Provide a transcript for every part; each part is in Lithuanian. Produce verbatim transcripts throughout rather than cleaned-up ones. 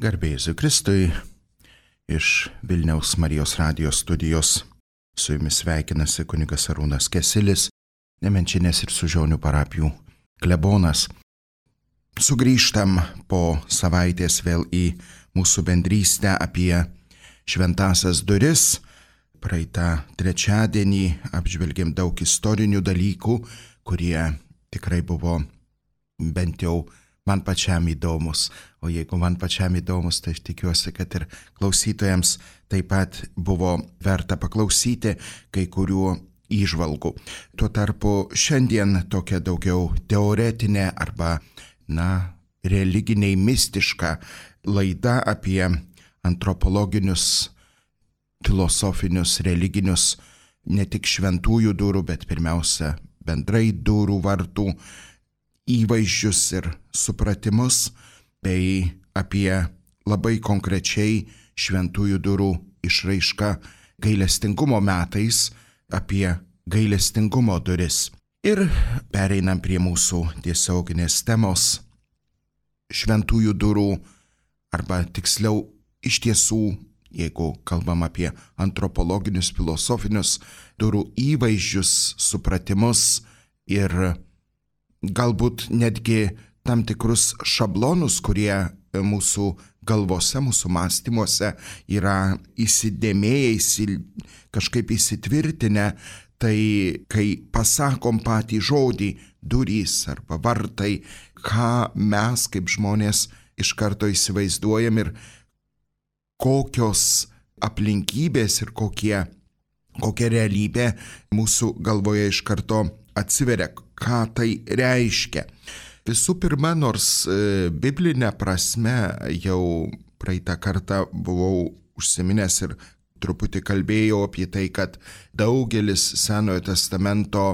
Garbė Jėzui Kristui, iš Vilniaus Marijos radijos studijos su jumis sveikinasi kunigas Arūnas Kesilis, Nemenčinės ir Sužionių parapijų klebonas. Sugrįžtam po savaitės vėl į mūsų bendrystę apie šventąsias duris. Praeitą trečiadienį apžvelgėm daug istorinių dalykų, kurie tikrai buvo bent jau man pačiam įdomus. O jeigu man pačiam įdomus, tai aš tikiuosi, kad ir klausytojams taip pat buvo verta paklausyti kai kurių įžvalgų. Tuo tarpu šiandien tokia daugiau teoretinė arba, na, religiniai mistiška laida apie antropologinius, filosofinius, religinius, ne tik šventųjų durų, bet pirmiausia bendrai durų vartų įvaizdžius ir supratimus, bei apie labai konkrečiai šventųjų durų išraišką gailestingumo metais, apie gailestingumo duris. Ir pereinam prie mūsų tiesioginės temos šventųjų durų, arba tiksliau iš tiesų, jeigu kalbam apie antropologinius, filosofinius durų įvaizdžius, supratimus ir galbūt netgi tam tikrus šablonus, kurie mūsų galvose, mūsų mąstymuose yra įsidėmėję, įsil... kažkaip įsitvirtinę, tai kai pasakom patį žodį durys arba vartai, ką mes kaip žmonės iš karto įsivaizduojam ir kokios aplinkybės ir kokie, kokia realybė mūsų galvoje iš karto atsiveria, ką tai reiškia. Visų pirma, nors e, biblinė prasme jau praeitą kartą buvau užsiminęs ir truputį kalbėjau apie tai, kad daugelis Senojo testamento,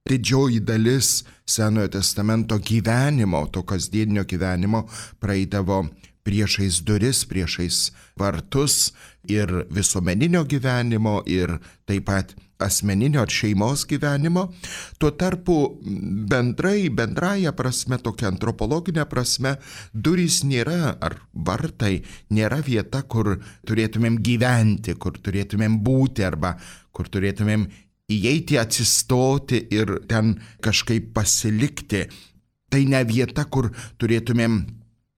didžioji dalis Senojo testamento gyvenimo, to kasdieninio gyvenimo praeidavo priešais duris, priešais vartus ir visuomeninio gyvenimo ir taip pat asmeninio ar šeimos gyvenimo. Tuo tarpu bendrai, bendraja prasme, tokia antropologinė prasme, durys nėra, ar vartai, nėra vieta, kur turėtumėm gyventi, kur turėtumėm būti, arba kur turėtumėm įeiti, atsistoti ir ten kažkaip pasilikti. Tai ne vieta, kur turėtumėm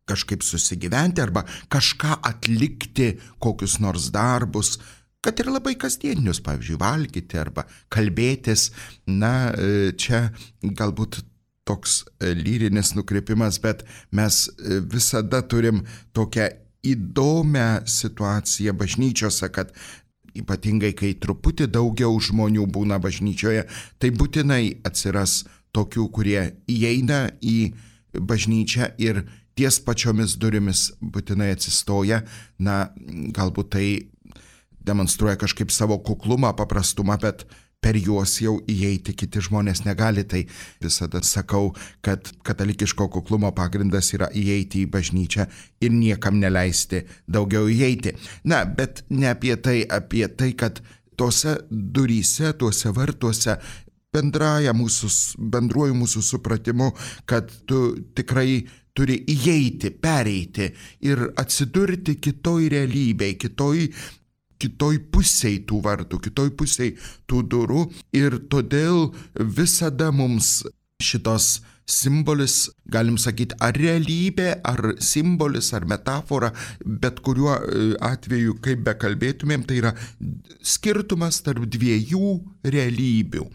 kažkaip susigyventi arba kažką atlikti, kokius nors darbus, kad ir labai kasdieninius, pavyzdžiui, valgyti arba kalbėtis. Na, čia galbūt toks lyrinis nukrypimas, bet mes visada turim tokią įdomią situaciją bažnyčiose, kad ypatingai kai truputį daugiau žmonių būna bažnyčioje, tai būtinai atsiras tokių, kurie įeina į bažnyčią ir ties pačiomis durimis būtinai atsistoja. Na, galbūt tai demonstruoja kažkaip savo kuklumą, paprastumą, bet per juos jau įeiti kiti žmonės negali. Tai visada sakau, kad katalikiško kuklumo pagrindas yra įeiti į bažnyčią ir niekam neleisti daugiau įeiti. Na, bet ne apie tai, apie tai, kad tose duryse, tuose vartuose, bendraja mūsų, bendruoju mūsų supratimu, kad tu tikrai turi įeiti, pereiti ir atsidurti kitoj realybėj, kitoj kitoj pusėj tų vartų, kitoj pusėj tų durų, ir todėl visada mums šitos simbolis, galim sakyti, ar realybė, ar simbolis, ar metafora, bet kuriuo atveju, kaip bekalbėtumėm, tai yra skirtumas tarp dviejų realybių.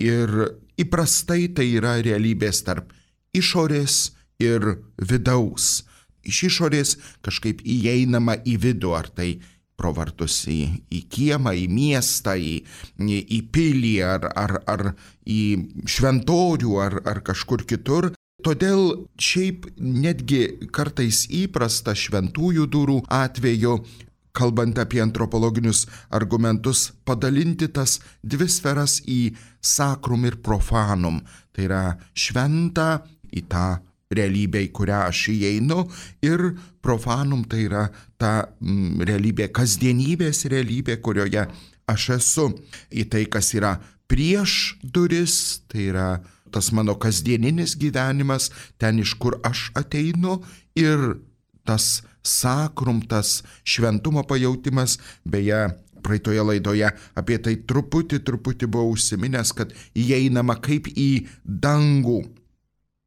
Ir įprastai tai yra realybės tarp išorės ir vidaus. Iš išorės kažkaip įeinama į vidų, ar tai pro vartus į, į kiemą, į miestą, į, į, į pilį, ar, ar, ar į šventorių, ar, ar kažkur kitur. Todėl šiaip netgi kartais įprasta šventųjų durų atveju, kalbant apie antropologinius argumentus, padalinti tas dvi sferas į sacrum ir profanum. Tai yra šventą į tą realybė, į kurią aš įeinu, ir profanum, tai yra ta mm, realybė, kasdienybės realybė, kurioje aš esu. Į tai, kas yra prieš duris, tai yra tas mano kasdieninis gyvenimas, ten iš kur aš ateinu, ir tas sakrum, tas šventumo pajautimas, beje, praeitoje laidoje apie tai truputį, truputį buvau užsiminęs, kad įeinama kaip į dangų.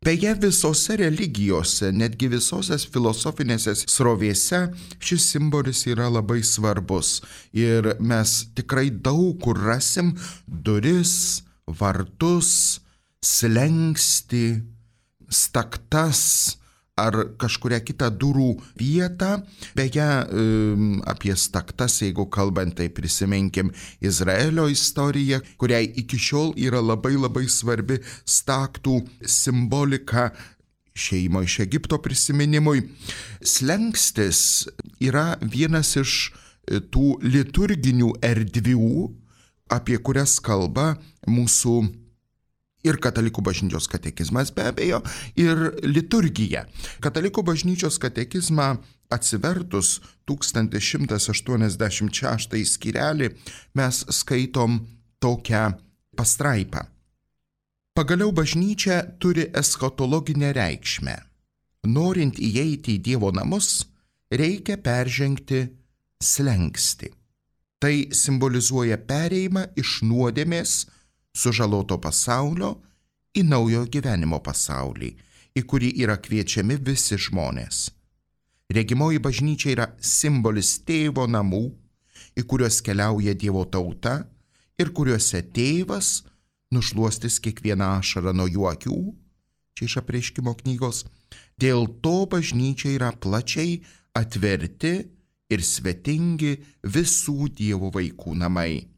Beje, visose religijose, netgi visose filosofinėse srovėse šis simbolis yra labai svarbus. Ir mes tikrai daug kur rasim duris, vartus, slenkstį, staktas ar kažkuria kita durų vieta. Beje, apie staktas, jeigu kalbant, tai prisiminkim Izraelio istoriją, kuriai iki šiol yra labai labai svarbi staktų simbolika išėjimo iš Egipto prisiminimui. Slenkstis yra vienas iš tų liturginių erdvių, apie kurias kalba mūsų ir katalikų bažnyčios katekizmas be abejo, ir liturgija. Katalikų bažnyčios katekizmą atsivertus tūkstantis šimtas aštuoniasdešimt šeštąjį skyrelį mes skaitom tokią pastraipą. Pagaliau bažnyčia turi eschatologinę reikšmę. Norint įeiti į Dievo namus, reikia peržengti slenkstį. Tai simbolizuoja perėjimą iš nuodėmės sužaloto pasaulio į naujo gyvenimo pasaulį, į kurį yra kviečiami visi žmonės. Regimoji bažnyčia yra simbolis tėvo namų, į kuriuos keliauja Dievo tauta ir kuriuose tėvas nušluostys kiekvieną ašarą nuo jų akių, čia iš Apreiškimo knygos. Dėl to bažnyčia yra plačiai atverti ir svetingi visų Dievo vaikų namai.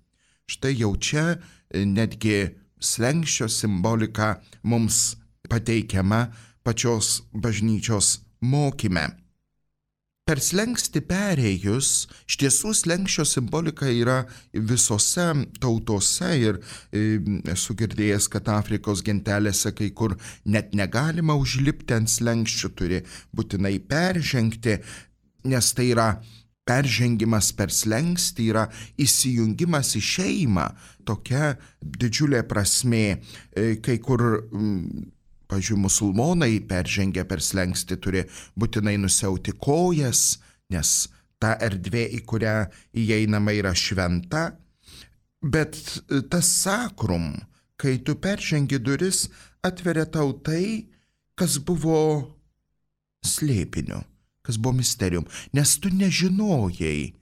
Štai jau čia netgi slenksčio simbolika mums pateikiama pačios bažnyčios mokyme. Per slenkstį perėjus, iš tiesų slenksčio simbolika yra visose tautose ir e, esu girdėjęs, kad Afrikos gentelėse kai kur net negalima užlipti ant slenkščių, turi būtinai peržengti, nes tai yra peržengimas per slenkstį, yra įsijungimas į šeimą, tokia didžiulė prasmė. Kai kur, pavyzdžiui, musulmonai peržengę per slenkstį turi būtinai nusiauti kojas, nes ta erdvė, į kurią įeinama, yra šventa. Bet tas sakrum, kai tu peržengi duris, atveria tau tai, kas buvo slėpiniu, kas buvo misterijum, nes tu nežinojai,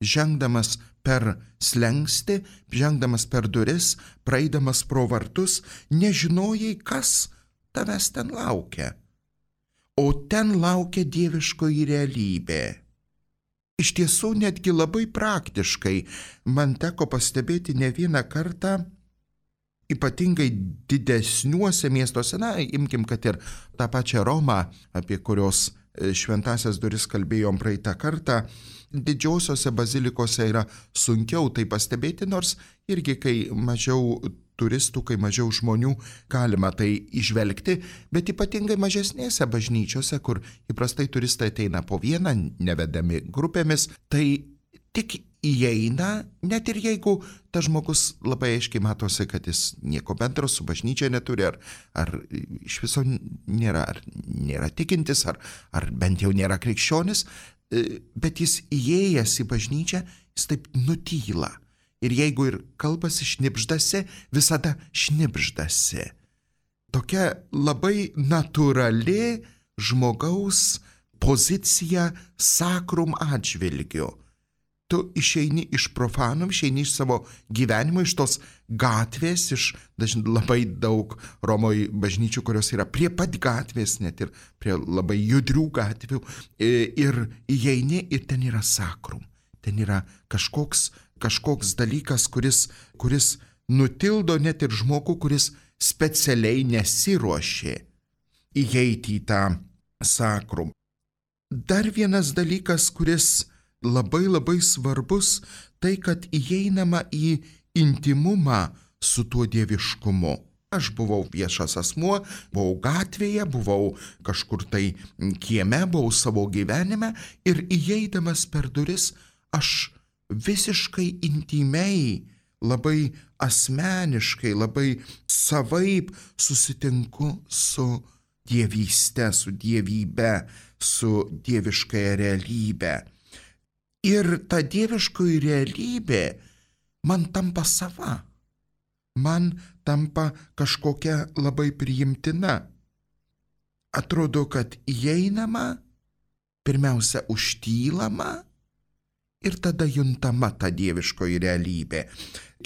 žengdamas per slenkstį, žengdamas per duris, praeidamas pro vartus, nežinojai, kas tavęs ten laukia. O ten laukia dieviškoji realybė. Iš tiesų, netgi labai praktiškai man teko pastebėti ne vieną kartą, ypatingai didesniuose miestuose, na, imkim, kad ir tą pačią Romą, apie kurios šventasias duris kalbėjom praeitą kartą, didžiosiose bazilikose yra sunkiau tai pastebėti, nors irgi kai mažiau turistų, kai mažiau žmonių, galima tai įžvelgti, bet ypatingai mažesnėse bažnyčiose, kur įprastai turistai ateina po vieną, nevedami grupėmis, tai tik įeina, net ir jeigu tas žmogus labai aiškiai matosi, kad jis nieko bendro su bažnyčia neturi, ar, ar iš viso nėra, ar nėra tikintis, ar, ar bent jau nėra krikščionis, bet jis įėjęs į bažnyčią, jis taip nutyla. Ir jeigu ir kalbasi šnibždasi, visada šnibždasi. Tokia labai natūrali žmogaus pozicija sakrum atžvilgiu. Tu išeini iš profanum, išeini iš savo gyvenimo, iš tos gatvės, iš dažnai labai daug Romoje bažnyčių, kurios yra prie pat gatvės, net ir prie labai judrių gatvių, ir įeini ir ten yra sakrum. Ten yra kažkoks, kažkoks dalykas, kuris, kuris nutildo net ir žmogų, kuris specialiai nesiruošė įeiti į tą sakrum. Dar vienas dalykas, kuris labai labai svarbus, tai kad įeinama į intimumą su tuo dieviškumu. Aš buvau viešas asmuo, buvau gatvėje, buvau kažkur tai kieme, buvau savo gyvenime ir įeidamas per duris aš visiškai intimiai, labai asmeniškai, labai savaip susitinku su dievyste, su dievybe, su dieviškąja realybė. Ir ta dieviškoji realybė man tampa sava, man tampa kažkokia labai priimtina. Atrodo, kad įeinama, pirmiausia užtylama ir tada juntama ta dieviškoji realybė.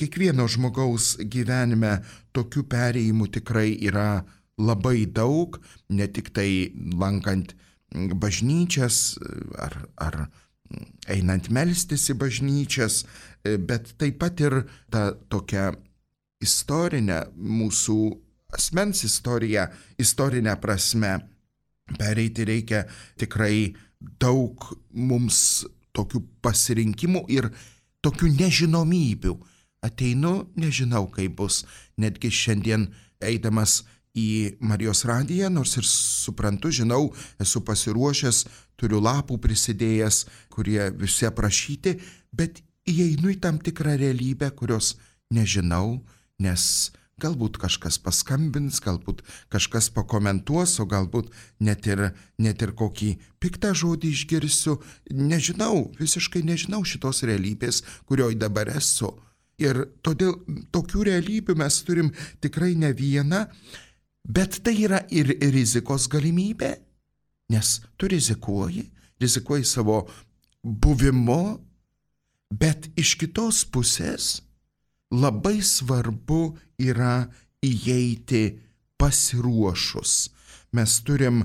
Kiekvieno žmogaus gyvenime tokių perėjimų tikrai yra labai daug, ne tik tai lankant bažnyčias ar, ar einant melstis į bažnyčias, bet taip pat ir ta tokia istorinė mūsų asmens istorija, istorinė prasme. Pereiti reikia tikrai daug mums tokių pasirinkimų ir tokių nežinomybių. Ateinu, nežinau kaip bus, netgi šiandien eidamas į Marijos radiją, nors ir suprantu, žinau, esu pasiruošęs, turiu lapų prisidėjęs, kurie visi aprašyti, bet įeinu į tam tikrą realybę, kurios nežinau, nes galbūt kažkas paskambins, galbūt kažkas pakomentuos, o galbūt net ir, net ir kokį piktą žodį išgirsiu. Nežinau, visiškai nežinau šitos realybės, kurioj dabar esu. Ir todėl tokių realybių mes turim tikrai ne vieną, bet tai yra ir rizikos galimybė, nes tu rizikuoji, rizikuoji savo buvimu, bet iš kitos pusės labai svarbu yra įeiti pasiruošus. Mes turim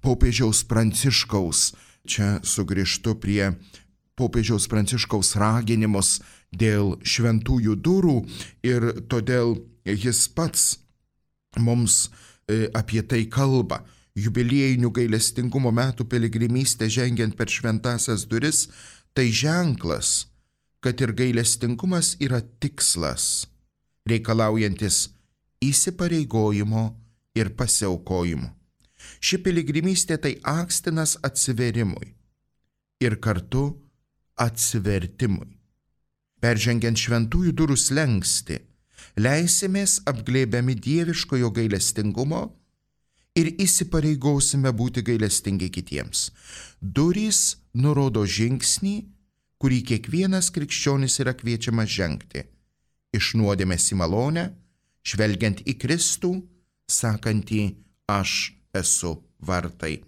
popiežiaus Pranciškaus, čia sugrįžtu prie popiežiaus Pranciškaus raginimus dėl šventųjų durų ir todėl jis pats mums apie tai kalba. Jubiliejinių gailestingumo metų piligrimystė žengiant per šventąsias duris, tai ženklas, kad ir gailestingumas yra tikslas, reikalaujantis įsipareigojimo ir pasiaukojimo. Ši piligrimystė tai akstinas atsiverimui ir kartu atsivertimui. Peržengiant šventųjų durų slenkstį, leisimės apglėbiami dieviškojo gailestingumo ir įsipareigosime būti gailestingi kitiems. Durys nurodo žingsnį, kurį kiekvienas krikščionis yra kviečiamas žengti. Iš nuodėmės į malonę, žvelgiant į Kristų, sakantį aš esu vartai.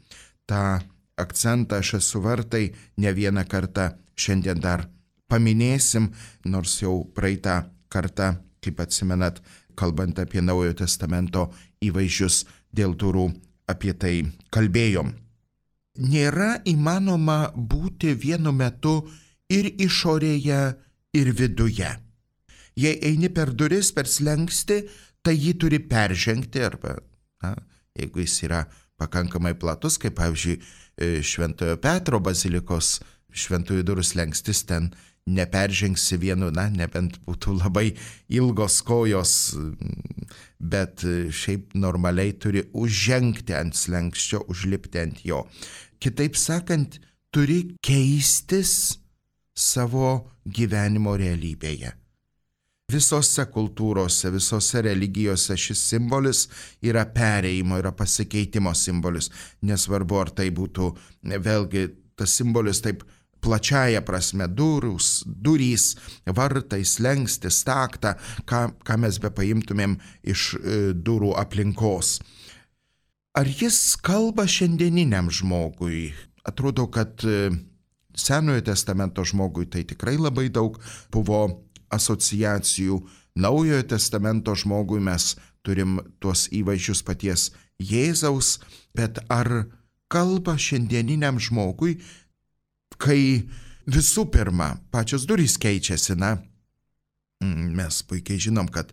Ta akcentą aš esu vartai ne vieną kartą šiandien dar paminėsim, nors jau praeitą kartą, kaip atsimenat, kalbant apie Naujojo testamento įvaizdžius dėl durų, apie tai kalbėjom. Nėra įmanoma būti vienu metu ir išorėje, ir viduje. Jei eini per duris, per slenkstį, tai jį turi peržengti, arba, na, jeigu jis yra pakankamai platus, kaip pavyzdžiui Šventojo Petro bazilikos šventųjų durų slengstis, ten neperžengsi vienu, na, nebent būtų labai ilgos kojos, bet šiaip normaliai turi užžengti ant slengsčio, užlipti ant jo. Kitaip sakant, turi keistis savo gyvenimo realybėje. Visose kultūrose, visose religijose šis simbolis yra perėjimo, yra pasikeitimo simbolis. Nesvarbu, ar tai būtų, vėlgi, tas simbolis taip plačiaja prasme, durus, durys, vartai, slengstis, staktą, ką, ką mes be paimtumėm iš e, durų aplinkos. Ar jis kalba šiandieniniam žmogui? Atrodo, kad e, Senojo testamento žmogui tai tikrai labai daug buvo asociacijų. Naujojo testamento žmogui mes turim tuos įvaizdžius paties Jėzaus, bet ar kalba šiandieniniam žmogui, kai visų pirma pačios durys keičiasi, na, mes puikiai žinom, kad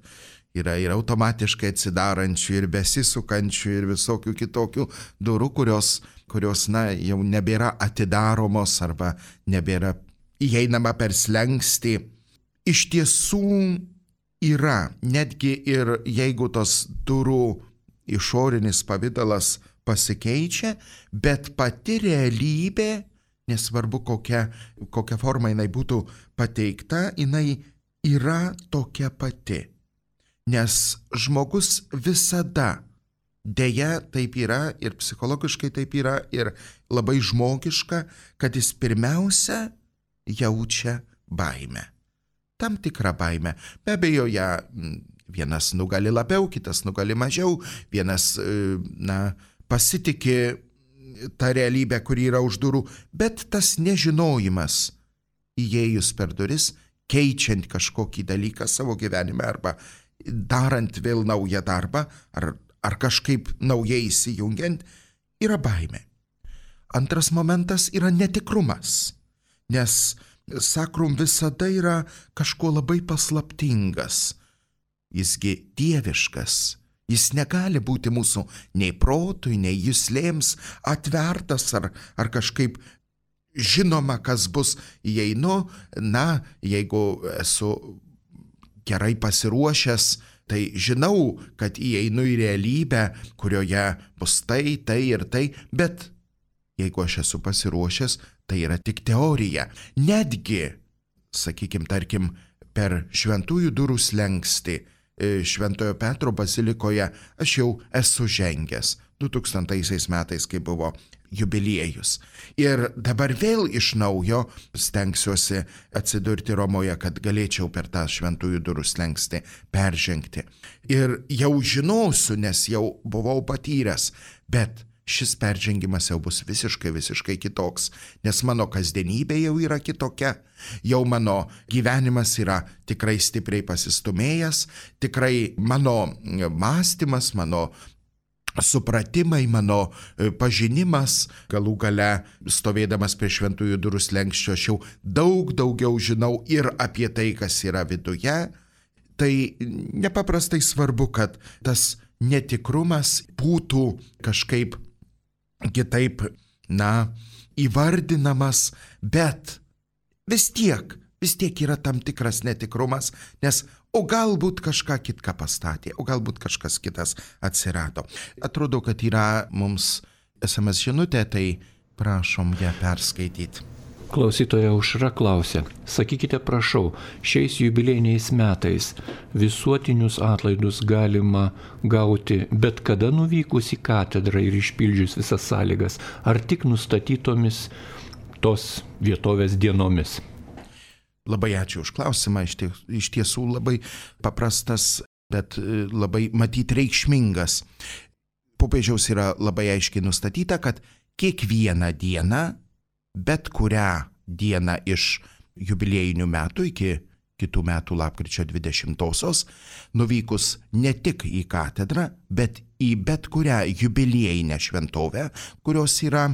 yra ir automatiškai atsidarančių, ir besisukančių, ir visokių kitokių durų, kurios, kurios, na, jau nebėra atidaromos arba nebėra įeinama per slenkstį. Iš tiesų yra, netgi ir jeigu tos durų išorinis pavidalas pasikeičia, bet pati realybė, nesvarbu kokia, kokia forma jinai būtų pateikta, jinai yra tokia pati. Nes žmogus visada Deja, taip yra ir psichologiškai taip yra ir labai žmogiška, kad jis pirmiausia jaučia baimę. Tam tikrą baimę. Be abejo, ją vienas nugali labiau, kitas nugali mažiau, vienas, na, pasitikė tą realybę, kuri yra už durų, bet tas nežinojimas įėjus per duris, keičiant kažkokį dalyką savo gyvenime arba darant vėl naują darbą ar, ar kažkaip naujai įsijungiant, yra baimė. Antras momentas yra netikrumas, nes sakrum visada yra kažko labai paslaptingas, jisgi dieviškas, jis negali būti mūsų nei protui, nei juslėms atvertas ar, ar kažkaip žinoma, kas bus, įeinu, na, jeigu esu gerai pasiruošęs, tai žinau, kad įeinu į realybę, kurioje bus tai, tai ir tai, bet jeigu aš esu pasiruošęs, tai yra tik teorija. Netgi, sakykim, tarkim, per šventųjų durų slenkstį Šventojo Petro bazilikoje aš jau esu žengęs du tūkstantaisiais metais, kai buvo jubiliejus. Ir dabar vėl iš naujo stengsiuosi atsidurti Romoje, kad galėčiau per tą šventųjų durų slenkstį peržengti. Ir jau žinosiu, nes jau buvau patyręs, bet šis peržengimas jau bus visiškai, visiškai kitoks, nes mano kasdienybė jau yra kitokia, jau mano gyvenimas yra tikrai stipriai pasistumėjęs, tikrai mano mąstymas, mano supratimai, mano pažinimas, galų gale stovėdamas prie šventųjų durų slenksčio, aš jau daug daugiau žinau ir apie tai, kas yra viduje. Tai nepaprastai svarbu, kad tas netikrumas būtų kažkaip kitaip, na, įvardinamas, bet vis tiek, vis tiek yra tam tikras netikrumas, nes o galbūt kažką kitką pastatė, o galbūt kažkas kitas atsirado. Atrodo, kad yra mums es em es žinutė, tai prašom ją perskaityti. Klausytoja Aušra klausia, sakykite prašau, šiais jubiliejiniais metais visuotinius atlaidus galima gauti bet kada nuvykus į katedrą ir išpildžius visas sąlygas, ar tik nustatytomis tos vietovės dienomis? Labai ačiū už klausimą, iš, ties, iš tiesų labai paprastas, bet labai matyt reikšmingas. Popiežiaus yra labai aiškiai nustatyta, kad kiekvieną dieną, bet kurią dieną iš jubiliejinių metų iki kitų metų lapkričio dvidešimtosios, nuvykus ne tik į katedrą, bet į bet kurią jubiliejinę šventovę, kurios yra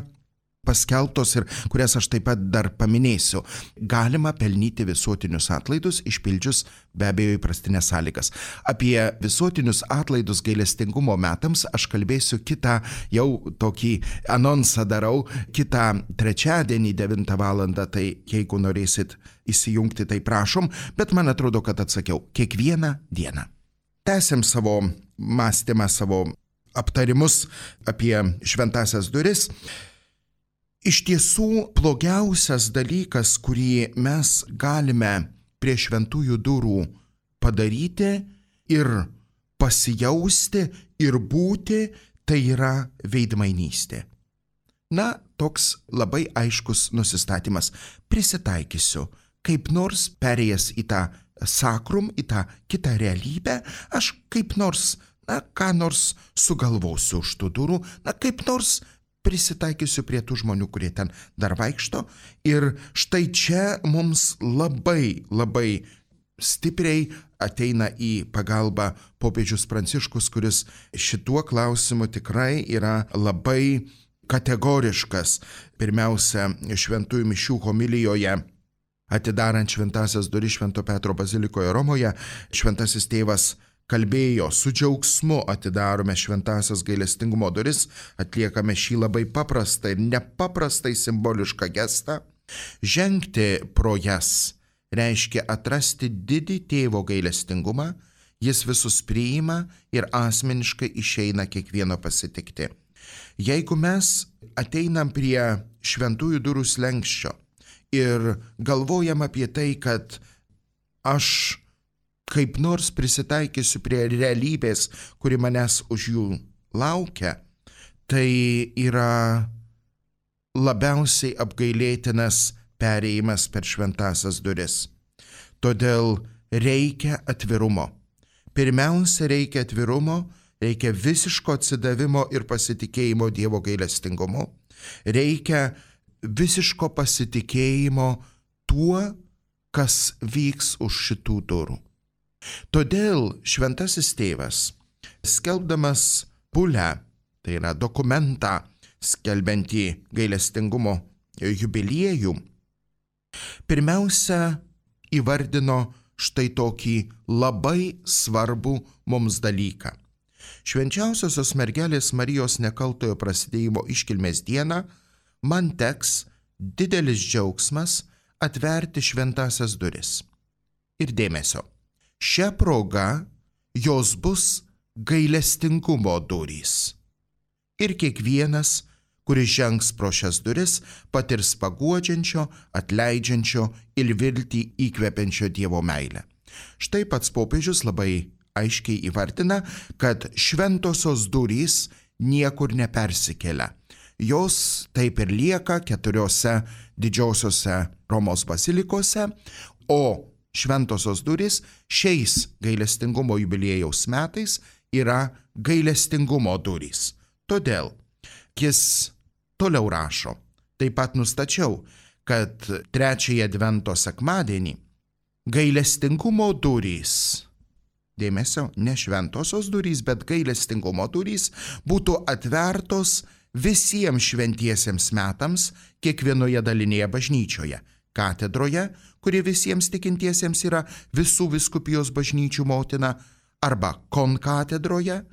paskelbtos ir kurias aš taip pat dar paminėsiu, galima pelnyti visuotinius atlaidus, išpildžius be abejo įprastinės sąlygas. Apie visuotinius atlaidus gailestingumo metams aš kalbėsiu kitą, jau tokį anonsą darau, kitą trečiadienį devintą valandą, tai jeigu norėsit įsijungti, tai prašom, bet man atrodo, kad atsakiau kiekvieną dieną. Tęsiam savo mąstymą, savo aptarimus apie šventąsias duris. Iš tiesų, blogiausias dalykas, kurį mes galime prie šventųjų durų padaryti ir pasijausti ir būti, tai yra veidmainystė. Na, toks labai aiškus nusistatymas. Prisitaikysiu, kaip nors perėjęs į tą sakrum, į tą kitą realybę, aš kaip nors, na, ką nors sugalvosiu už tų durų, na, kaip nors prisitaikysiu prie tų žmonių, kurie ten dar vaikšto. Ir štai čia mums labai, labai stipriai ateina į pagalbą popiežius Pranciškus, kuris šituo klausimu tikrai yra labai kategoriškas. Pirmiausia, šventųjų mišių homilijoje, atidarant šventąsias duris Švento Petro bazilikoje Romoje, šventasis tėvas kalbėjo, su džiaugsmu atidarome šventąsias gailestingumo duris, atliekame šį labai paprastą ir nepaprastai simbolišką gestą. Žengti pro jas reiškia atrasti didį tėvo gailestingumą, jis visus priima ir asmeniškai išeina kiekvieno pasitikti. Jeigu mes ateinam prie šventųjų durų slenksčio ir galvojam apie tai, kad aš kaip nors prisitaikysiu prie realybės, kuri manęs už jų laukia, tai yra labiausiai apgailėtinas perėjimas per šventąsias duris. Todėl reikia atvirumo. Pirmiausia, reikia atvirumo, reikia visiško atsidavimo ir pasitikėjimo Dievo gailestingumu. Reikia visiško pasitikėjimo tuo, kas vyks už šitų durų. Todėl šventasis tėvas, skelbdamas bulę, tai yra dokumentą skelbiantį gailestingumo jubiliejų, pirmiausia įvardino štai tokį labai svarbų mums dalyką. Švenčiausiosios mergelės Marijos nekaltojo prasidėjimo iškilmės dieną man teks didelis džiaugsmas atverti šventąsias duris. Ir dėmesio, šia proga jos bus gailestingumo durys. Ir kiekvienas, kuris žengs pro šias duris, patirs paguodžiančio, atleidžiančio ir viltį įkvepiančio Dievo meilę. Štai pats popiežius labai aiškiai įvardina, kad šventosios durys niekur nepersikelia. Jos taip ir lieka keturiose didžiosiose Romos bazilikose, o šventosios durys šiais gailestingumo jubiliejaus metais yra gailestingumo durys. Todėl jis toliau rašo, taip pat nustačiau, kad trečiąjį advento sekmadienį gailestingumo durys, dėmesio, ne šventosios durys, bet gailestingumo durys būtų atvertos visiems šventiesiems metams kiekvienoje dalinėje bažnyčioje, katedroje, kuri visiems tikintiesiems yra visų vyskupijos bažnyčių motina, arba konkatedroje,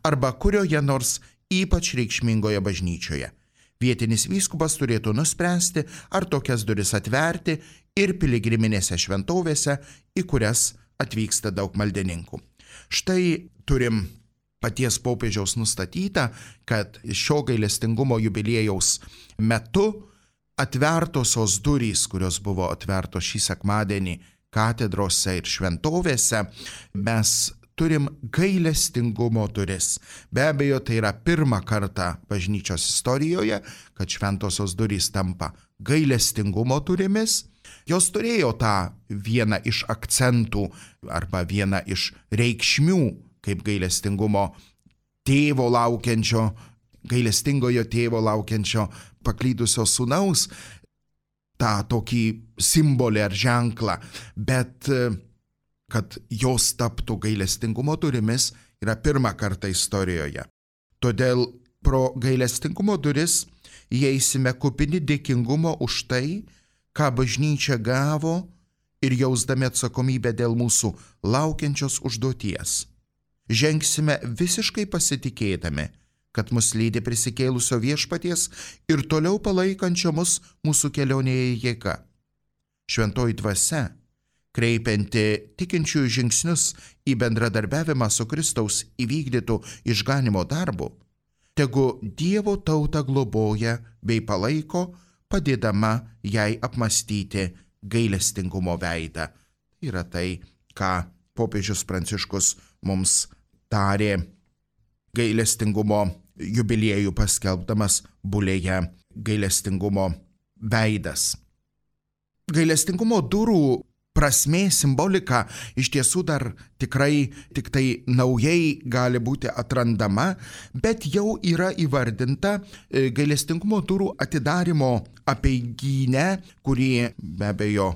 arba kurioje nors ypač reikšmingoje bažnyčioje. Vietinis vyskupas turėtų nuspręsti, ar tokias duris atverti ir piligriminėse šventovėse, į kurias atvyksta daug maldininkų. Štai turim paties popiežiaus nustatyta, kad šio gailestingumo jubiliejaus metu atvertosios durys, kurios buvo atvertos šį sekmadienį katedrose ir šventovėse, mes turim gailestingumo duris. Be abejo, tai yra pirmą kartą bažnyčios istorijoje, kad šventosios durys tampa gailestingumo durimis. Jos turėjo tą vieną iš akcentų arba vieną iš reikšmių, kaip gailestingumo tėvo laukiančio, gailestingojo tėvo laukiančio paklydusio sūnaus, tą tokį simbolį ar ženklą, bet kad jos taptų gailestingumo durimis yra pirmą kartą istorijoje. Todėl pro gailestingumo duris įeisime kupini dėkingumo už tai, ką bažnyčia gavo ir jausdami atsakomybę dėl mūsų laukiančios užduoties. Žengsime visiškai pasitikėdami, kad mus lydi prisikėlusio viešpaties ir toliau palaikančio mus mūsų kelionėje jėga. Šventoji dvasia, kreipianti tikinčiųjų žingsnius į bendradarbiavimą su Kristaus įvykdytų išganimo darbu, tegu Dievo tautą globoja bei palaiko, padėdama jai apmastyti gailestingumo veidą. Yra tai, ką popiežius Pranciškus mums tarė gailestingumo jubiliejų paskelbdamas bulėje gailestingumo veidas. Gailestingumo durų prasmė, simbolika iš tiesų dar tikrai tik tai naujai gali būti atrandama, bet jau yra įvardinta gailestingumo durų atidarimo apeigyne, kurį be abejo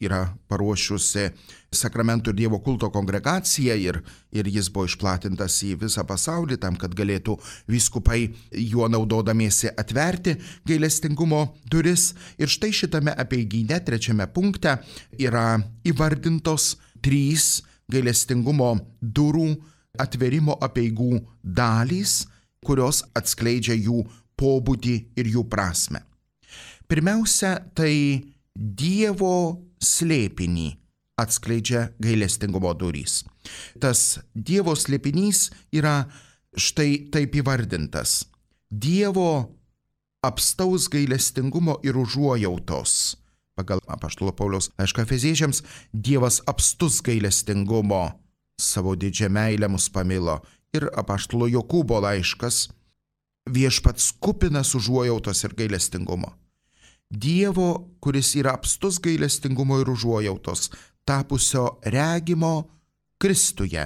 yra paruošusi Sakramentų ir Dievo kulto kongregacija ir, ir jis buvo išplatintas į visą pasaulį tam, kad galėtų vyskupai juo naudodamiesi atverti gailestingumo duris. Ir štai šitame apeigyne trečiame punkte yra įvardintos trys gailestingumo durų atverimo apeigų dalys, kurios atskleidžia jų pobūdį ir jų prasmę. Pirmiausia, tai Dievo slėpinį atskleidžia gailestingumo durys. Tas Dievo slėpinys yra štai taip įvardintas. Dievo apstaus gailestingumo ir užuojautos. Pagal apaštalo Pauliaus laišką Efeziečiams, Dievas apstus gailestingumo, savo didžią meilę mus pamilo, ir apaštalo Jokūbo laiškas, viešpats kupinas užuojautos ir gailestingumo. Dievo, kuris yra apstus gailestingumo ir užuojautos, tapusio regimo Kristuje,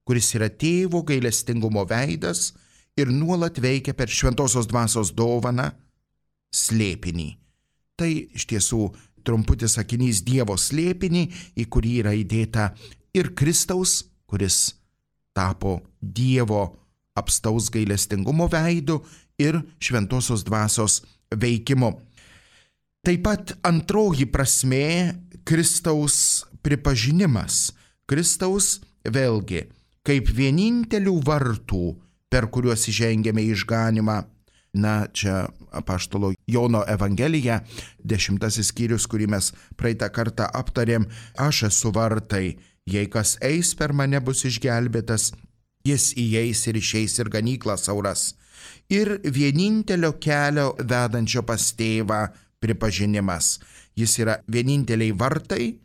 kuris yra tėvo gailestingumo veidas ir nuolat veikia per šventosios dvasios dovaną slėpinį. Tai iš tiesų trumputis sakinys Dievo slėpinį, į kurį yra įdėta ir Kristaus, kuris tapo Dievo apstaus gailestingumo veidu ir šventosios dvasios veikimu. Taip pat antroji prasmė - Kristaus pripažinimas. Kristaus vėlgi kaip vienintelių vartų, per kuriuos įžengėme į išganymą. Na, čia apaštalo Jono Evangelija, dešimtasis skyrius, kurį mes praeitą kartą aptarėm. Aš esu vartai, jei kas eis per mane bus išgelbėtas, jis įeis ir išeis ir ganyklą sauras. Ir vienintelio kelio vedančio pas tėvą pripažinimas. Jis yra vieninteliai vartai,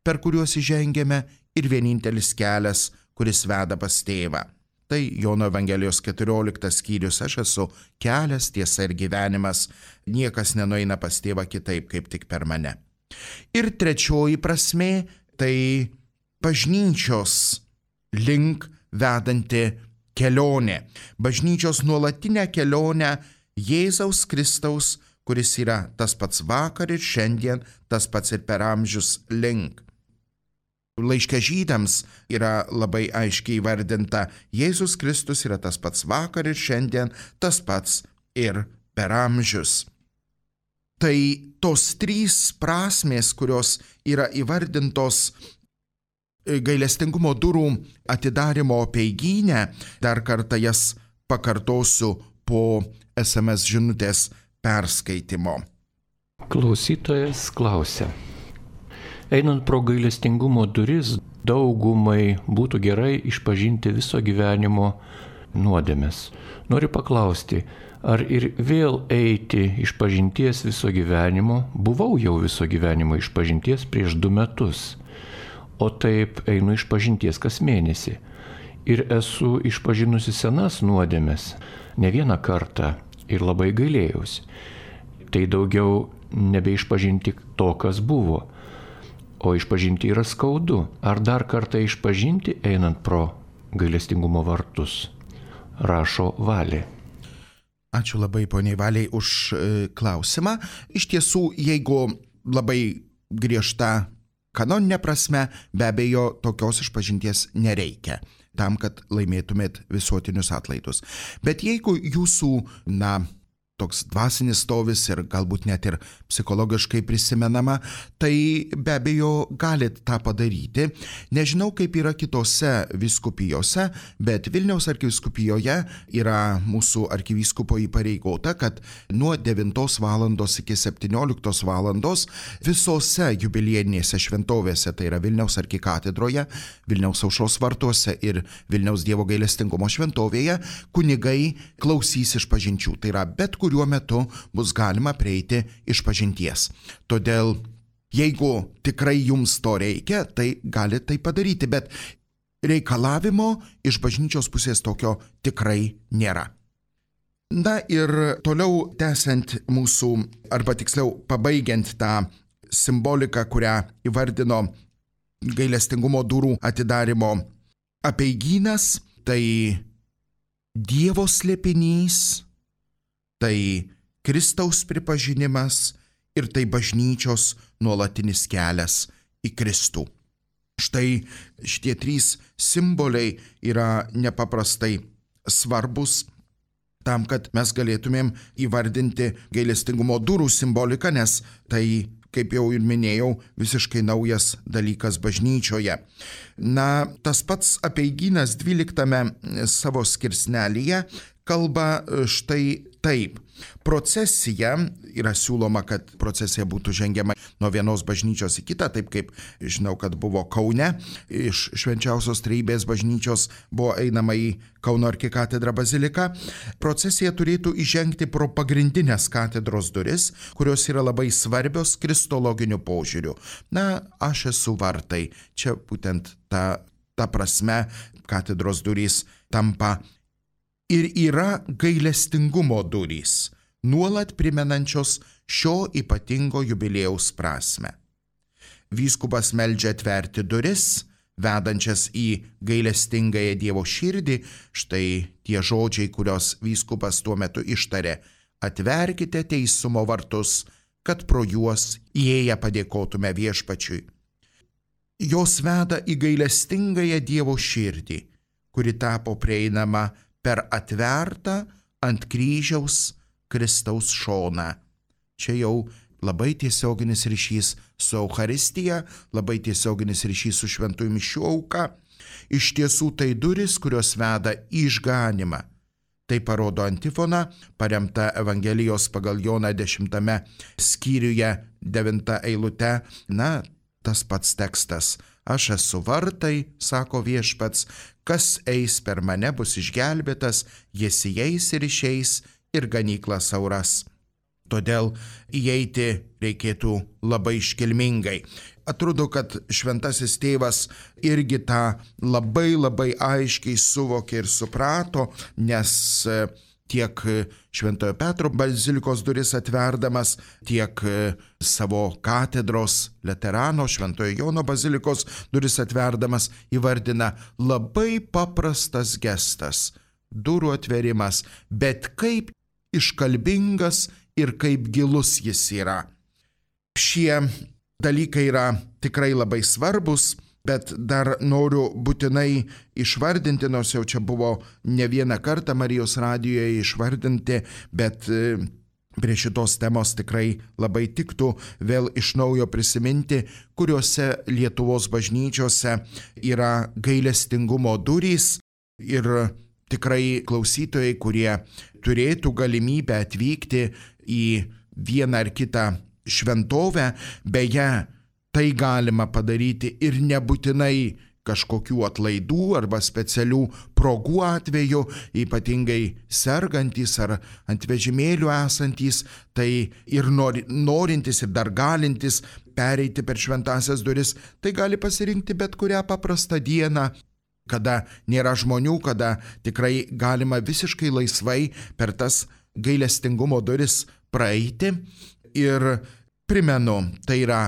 per kuriuos įžengėme, ir vienintelis kelias, kuris veda pas tėvą. Tai Jono Evangelijos keturioliktas skyrius, aš esu kelias, tiesa ir gyvenimas, niekas nenueina pas tėvą kitaip, kaip tik per mane. Ir trečioji prasmė - tai bažnyčios link vedanti kelionė. Bažnyčios nuolatinę kelionę Jėzaus Kristaus, kuris yra tas pats vakar ir šiandien, tas pats ir per amžius link. Laiške Žydams yra labai aiškiai įvardinta, Jėzus Kristus yra tas pats vakar ir šiandien, tas pats ir per amžius. Tai tos trys prasmės, kurios yra įvardintos gailestingumo durų atidarimo apeigyne, dar kartą jas pakartosiu po es em es žinutės perskaitimo. Klausytojas klausia. Einant pro gailestingumo duris, daugumai būtų gerai išpažinti viso gyvenimo nuodėmes. Noriu paklausti, ar ir vėl eiti išpažinties viso gyvenimo? Buvau jau viso gyvenimo išpažinties prieš du metus, o taip einu išpažinties kas mėnesį. Ir esu išpažinusi senas nuodėmes ne vieną kartą ir labai gailėjausi. Tai daugiau nebeišpažinti to, kas buvo. O išpažinti yra skaudu. Ar dar kartą išpažinti einant pro gailestingumo vartus? Rašo Valė. Ačiū labai poniai Valiai už klausimą. Iš tiesų, jeigu labai griežta kanoninė prasme, be abejo, tokios išpažinties nereikia tam, kad laimėtumėt visuotinius atlaidus. Bet jeigu jūsų, na, toks dvasinis stovis ir galbūt net ir psichologiškai prisimenama, tai be abejo galit tą padaryti. Nežinau, kaip yra kitose vyskupijose, bet Vilniaus arkivyskupijoje yra mūsų arkivyskupo įpareigota, kad nuo devintos valandos iki septynioliktos valandos visose jubiliejinėse šventovėse, tai yra Vilniaus arkikatedroje, Vilniaus Aušros vartuose ir Vilniaus Dievo gailestingumo šventovėje, kunigai klausys išpažinčių. Tai yra bet kur kuriuo metu bus galima prieiti išpažinties. Todėl, jeigu tikrai jums to reikia, tai galite tai padaryti, bet reikalavimo iš bažnyčios pusės tokio tikrai nėra. Na ir toliau tęsiant mūsų, arba tiksliau pabaigiant tą simboliką, kurią įvardino gailestingumo durų atidarimo apeigynas, tai Dievo slėpinys, tai Kristaus pripažinimas ir tai bažnyčios nuolatinis kelias į Kristų. Štai šitie trys simboliai yra nepaprastai svarbus tam, kad mes galėtumėm įvardinti gailestingumo durų simboliką, nes tai, kaip jau ir minėjau, visiškai naujas dalykas bažnyčioje. Na, tas pats apeigynas dvyliktame savo skirsnelyje kalba štai taip. Procesija, yra siūloma, kad procesija būtų žengiama nuo vienos bažnyčios į kitą, taip kaip žinau, kad buvo Kaune, iš Švenčiausios Trejybės bažnyčios buvo einama į Kauno arkikatedrą baziliką. Procesija turėtų įžengti pro pagrindinės katedros duris, kurios yra labai svarbios kristologiniu požiūriu. Na, aš esu vartai. Čia būtent ta, ta prasme katedros durys tampa ir yra gailestingumo durys, nuolat primenančios šio ypatingo jubiliejaus prasme. Vyskupas meldžia atverti duris, vedančias į gailestingąją Dievo širdį. Štai tie žodžiai, kurios vyskupas tuo metu ištarė: atverkite teisumo vartus, kad pro juos įėję padėkotume viešpačiui. Jos veda į gailestingąją Dievo širdį, kuri tapo prieinama per atvertą ant kryžiaus Kristaus šoną. Čia jau labai tiesioginis ryšys su Eucharistija, labai tiesioginis ryšys su šventųjų mišių auka. Iš tiesų tai durys, kurios veda į išganimą. Tai parodo antifona, paremta Evangelijos pagal Joną dešimtame skyriuje devinta eilute. Na, tas pats tekstas. Aš esu vartai, sako viešpats, kas eis per mane bus išgelbėtas, jis įeis ir išeis ir ganykla sauras. Todėl įeiti reikėtų labai iškilmingai. Atrodo, kad šventasis tėvas irgi tą labai labai aiškiai suvokė ir suprato, nes tiek Šventojo Petro bazilikos duris atverdamas, tiek savo katedros Laterano Šventojo Jono bazilikos duris atverdamas įvardina labai paprastas gestas, durų atverimas, bet kaip iškalbingas ir kaip gilus jis yra. Šie dalykai yra tikrai labai svarbus, bet dar noriu būtinai išvardinti, nors jau čia buvo ne vieną kartą Marijos radijoje išvardinti, bet prie šitos temos tikrai labai tiktų vėl iš naujo prisiminti, kuriuose Lietuvos bažnyčiose yra gailestingumo durys. Ir tikrai klausytojai, kurie turėtų galimybę atvykti į vieną ar kitą šventovę, beje, tai galima padaryti ir nebūtinai kažkokių atlaidų arba specialių progų atveju, ypatingai sergantys ar ant vežimėlių esantys, tai ir nori, norintys ir dar galintys pereiti per šventąsias duris, tai gali pasirinkti bet kurią paprastą dieną, kada nėra žmonių, kada tikrai galima visiškai laisvai per tas gailestingumo duris praeiti. Ir primenu, tai yra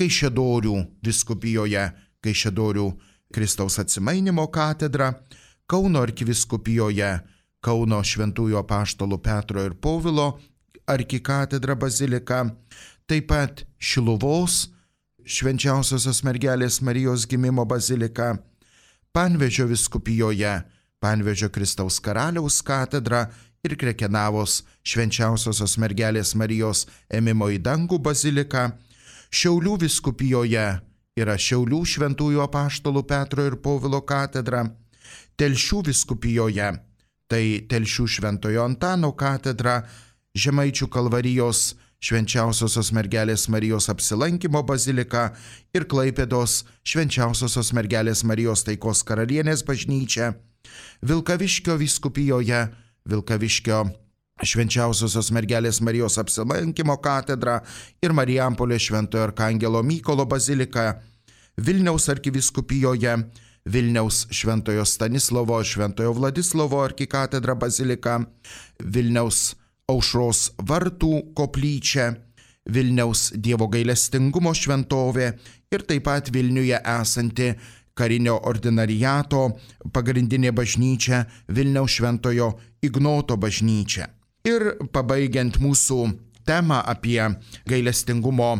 Kaišiadorių vyskupijoje, Kaišiadorių Kristaus Atsimainimo katedra, Kauno arkivyskupijoje, Kauno šventųjų apaštalų Petro ir Povilo arkikatedra bazilika, taip pat Šiluvos Švenčiausiosios mergelės Marijos gimimo bazilika, Panevėžio vyskupijoje Panevėžio Kristaus Karaliaus katedra ir Krekenavos Švenčiausiosios mergelės Marijos ėmimo į dangų bazilika. Šiaulių vyskupijoje yra Šiaulių šventųjų apaštalų Petro ir Povilo katedra. Telšių vyskupijoje tai Telšių šventojo Antano katedra, Žemaičių Kalvarijos Švenčiausiosios mergelės Marijos apsilankymo bazilika ir Klaipėdos Švenčiausiosios mergelės Marijos taikos karalienės bažnyčia. Vilkaviškio vyskupijoje Vilkaviškio Švenčiausiosios mergelės Marijos apsilankymo katedra ir Marijampolės Šventojo arkangelo Mykolo bazilika. Vilniaus arkivyskupijoje Vilniaus Šventojo Stanislovo Šventojo Vladislovo arkikatedra bazilika, Vilniaus Aušros vartų koplyčia, Vilniaus Dievo gailestingumo šventovė ir taip pat Vilniuje esanti karinio ordinariato pagrindinė bažnyčia Vilniaus Šventojo Ignoto bažnyčia. Ir pabaigiant mūsų temą apie gailestingumo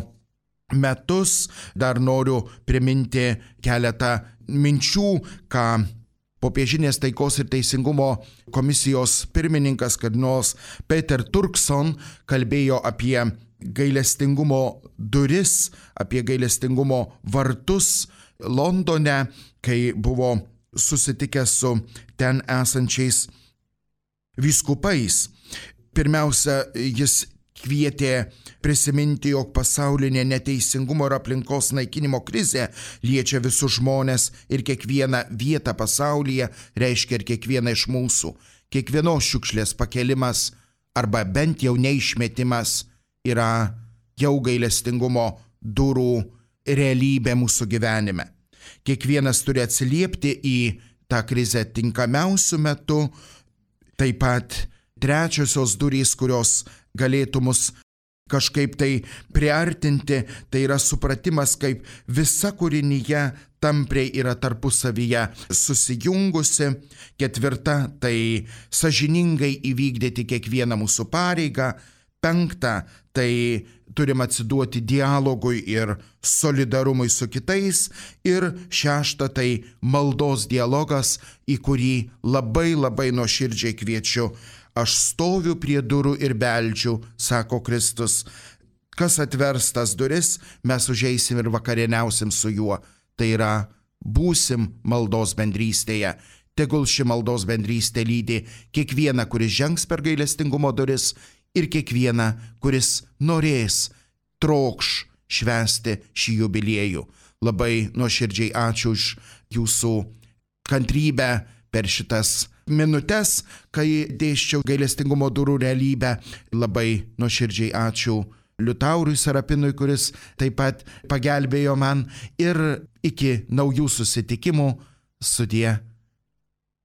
metus, dar noriu priminti keletą minčių, ką Popiežinės taikos ir teisingumo komisijos pirmininkas kardinolas Peter Turkson kalbėjo apie gailestingumo duris, apie gailestingumo vartus Londone, kai buvo susitikęs su ten esančiais vyskupais. Pirmiausia, jis kvietė prisiminti, jog pasaulinė neteisingumo ir aplinkos naikinimo krizė liečia visus žmones ir kiekvieną vietą pasaulyje, reiškia ir kiekvieną iš mūsų. Kiekvienos šiukšlės pakelimas arba bent jau neišmetimas yra jau gailestingumo durų realybė mūsų gyvenime. Kiekvienas turi atsiliepti į tą krizę tinkamiausiu metu. Taip pat trečiosios durys, kurios galėtų mus kažkaip tai priartinti, tai yra supratimas, kaip visa kūrinyje tampriai yra tarpusavyje susijungusi. Ketvirta, tai sąžiningai įvykdyti kiekvieną mūsų pareigą. Penkta, tai turim atsiduoti dialogui ir solidarumui su kitais. Ir šešta, tai maldos dialogas, į kurį labai labai nuoširdžiai kviečiu. Aš stoviu prie durų ir beldžiu, sako Kristus. Kas atvers tas duris, mes užeisim ir vakarieniausim su juo. Tai yra, būsim maldos bendrystėje. Tegul ši maldos bendrystė lydi kiekvieną, kuris žengs per gailestingumo duris, ir kiekvieną, kuris norės, trokš švęsti šį jubiliejų. Labai nuoširdžiai ačiū už jūsų kantrybę per šitas minutes, kai dėsčiau gailestingumo durų realybę. Labai nuoširdžiai ačiū Liutaurui Sarapinui, kuris taip pat pagelbėjo man. Ir iki naujų susitikimų, sudie.